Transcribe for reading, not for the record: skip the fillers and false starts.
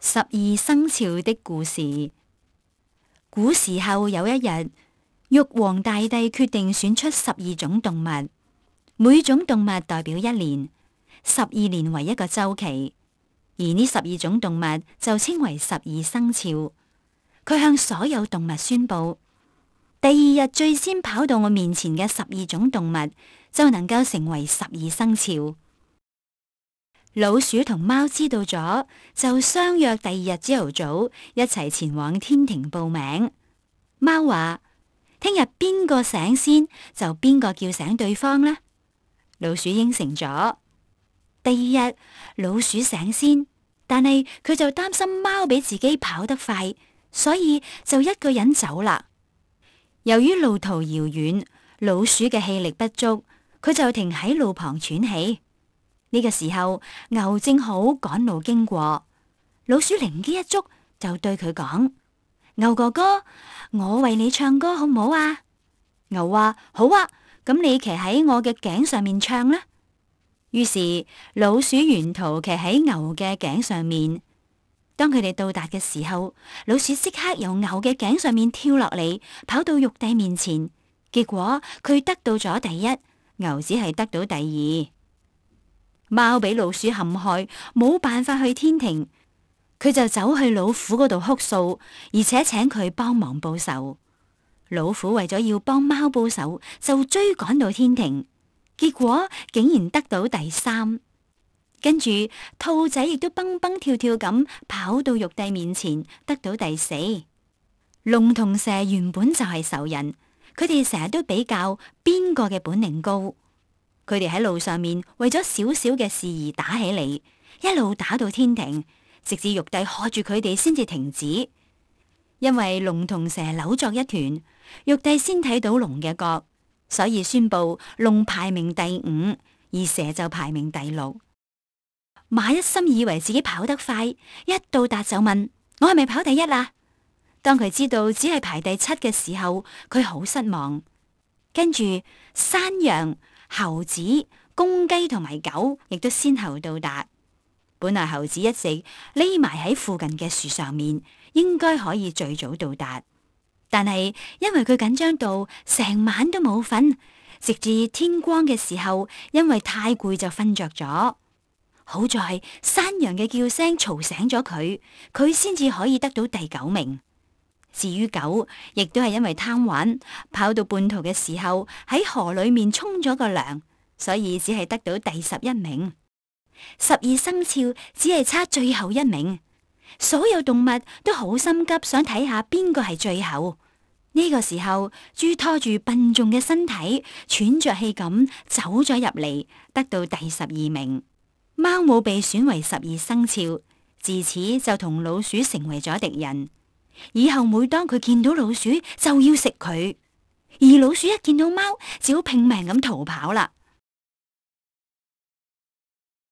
十二生肖的故事。古時候有一日，玉皇大帝決定選出12種動物，每種動物代表一年，12年為一個週期，而呢12種動物就稱為12生肖。佢向所有動物宣布，第二日最先跑到我面前嘅12種動物就能夠成為12生肖。老鼠同貓知道咗，就相約第二日朝頭早一齊前往天庭報名。貓話：聽日邊個醒先，就邊個叫醒對方啦。老鼠應承咗。第二日，老鼠醒先，但係佢就擔心貓比自己跑得快，所以就一個人走啦。由於路途遙遠，老鼠嘅氣力不足，佢就停喺路旁喘氣。呢個時候，牛正好趕路經過，老鼠靈機一觸，就對佢講：牛哥哥，我為你唱歌好唔好啊？牛話：好啊，咁你騎喺我嘅頸上面唱啦。於是老鼠沿途騎喺牛嘅頸上面。當佢哋到達嘅時候，老鼠即刻由牛嘅頸上面跳落嚟，跑到玉帝面前。結果佢得到咗第一，牛只係得到第二。貓俾老鼠陷害，冇辦法去天庭，佢就走去老虎嗰度哭訴，而且請佢幫忙報仇。老虎為咗要幫貓報仇，就追趕到天庭，結果竟然得到第三。跟住兔仔亦都蹦蹦跳跳咁跑到玉帝面前，得到第四。龍同蛇原本就係仇人，佢哋成日都比較邊個嘅本領高。佢哋喺路上面為咗少少嘅事而打起嚟，一路打到天庭，直至玉帝喝住佢哋先至停止。因為龍同蛇扭作一團，玉帝先睇到龍嘅角，所以宣布龍排名第五，而蛇就排名第六。馬一心以為自己跑得快，一到達就問：我係咪跑第一啊？當佢知道只係排第七嘅時候，佢好失望。跟住山羊、猴子、公雞同埋狗亦都先後到達。本來猴子一直匿埋喺附近嘅樹上面，應該可以最早到達，但係因為佢緊張到成晚都冇瞓，直至天光嘅時候，因為太攰就瞓着咗。好在山羊嘅叫聲嘈醒咗佢，佢先至可以得到第9名。至於狗，亦都係因為貪玩，跑到半途嘅時候喺河裏面沖咗個涼，所以只係得到第11名。12生肖只係差最後1名，所有動物都好心急，想睇下邊個係最後。呢個時候，豬拖住笨重嘅身體，喘着氣咁走咗入嚟，得到第12名。貓冇被選為12生肖，自此就同老鼠成為咗敵人。以後每當佢見到老鼠，就要食佢，而老鼠一見到貓，就要拼命咁逃跑啦。